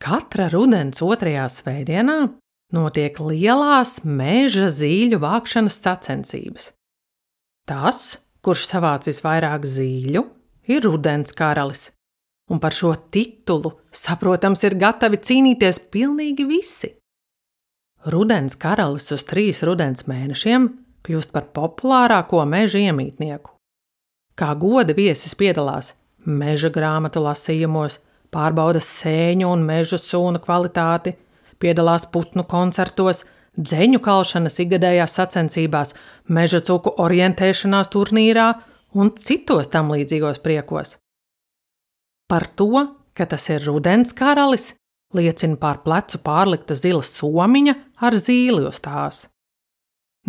Katra rudens 2. svētdienā notiek lielās meža zīļu vākšanas sacensības. Tas, kurš savāc visvairāk zīļu, ir rudens karalis, un par šo titulu, saprotams, ir gatavi cīnīties pilnīgi visi. Rudens karalis uz 3 rudens mēnešiem kļūst par populārāko meža iemītnieku. Kā goda viesis piedalās meža grāmatu lasījumos, pārbauda sēņu un meža sūnu kvalitāti, piedalās putnu koncertos, dzeņu kalšanas ikgadējās sacensībās, meža cuku orientēšanās turnīrā un citos tam līdzīgos priekos. Par to, ka tas ir rudens karalis, liecina pār plecu pārlikta zila somiņa ar zīli uz tās.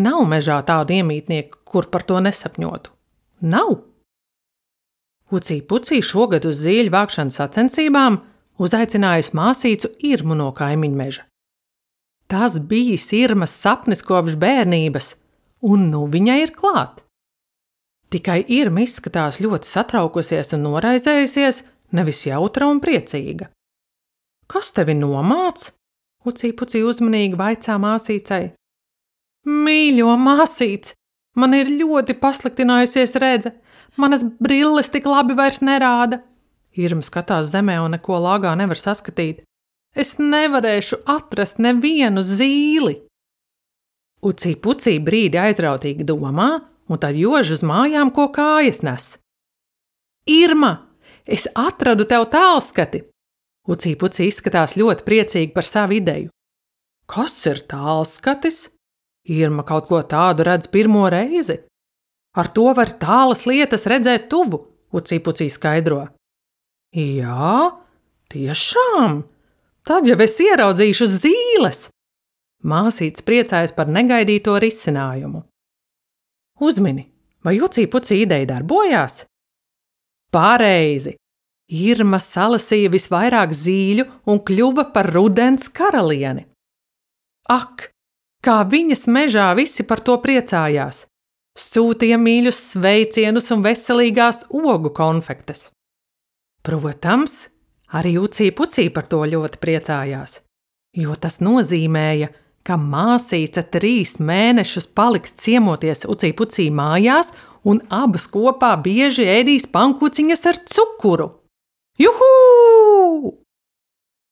Nav mežā tādu iemītnieku, kur par to nesapņotu. Nav! Ucī-pucī šogad uz zīļu vākšanas sacensībām uzaicinājusi māsīcu Irmu no kaimiņmeža. Tas bijis Irmas sapnis kopš bērnības, un nu viņa ir klāt. Tikai Irma izskatās ļoti satraukusies un noraizējusies, nevis jautra un priecīga. Kas tevi nomāc? Ucī-pucī uzmanīgi vaicā māsīcei. Mīļo māsīc, man ir ļoti pasliktinājusies redze. Manas brilles tik labi vairs nerāda. Irma skatās zemē un neko lāgā nevar saskatīt. Es nevarēšu atrast nevienu zīli. Ucī-pucī brīdi aizrautīgi domā, un tad jož uz mājām, ko kājas nes. Irma, es atradu tev tālskati! Ucī-pucī izskatās ļoti priecīgi par savu ideju. Kas ir tālskatis? Irma kaut ko tādu redz pirmo reizi. Ar to var tālas lietas redzēt tuvu, Ucī-pucī skaidro. Jā, tiešām! Tad jau es ieraudzīšu zīles! Māsītes priecājas par negaidīto risinājumu. Uzmini, vai Ucī-pucī ideja darbojās? Pareizi! Irma salasīja visvairāk zīļu un kļuva par rudens karalieni. Ak, kā viņas mežā visi par to priecājās! Sūtīja mīļus sveicienus un veselīgās ogu konfektes. Protams, arī Ucī-pucī par to ļoti priecājās, jo tas nozīmēja, ka māsīca 3 mēnešus paliks ciemoties Ucī-pucī mājās un abas kopā bieži ēdīs pankūciņas ar cukuru. Juhū!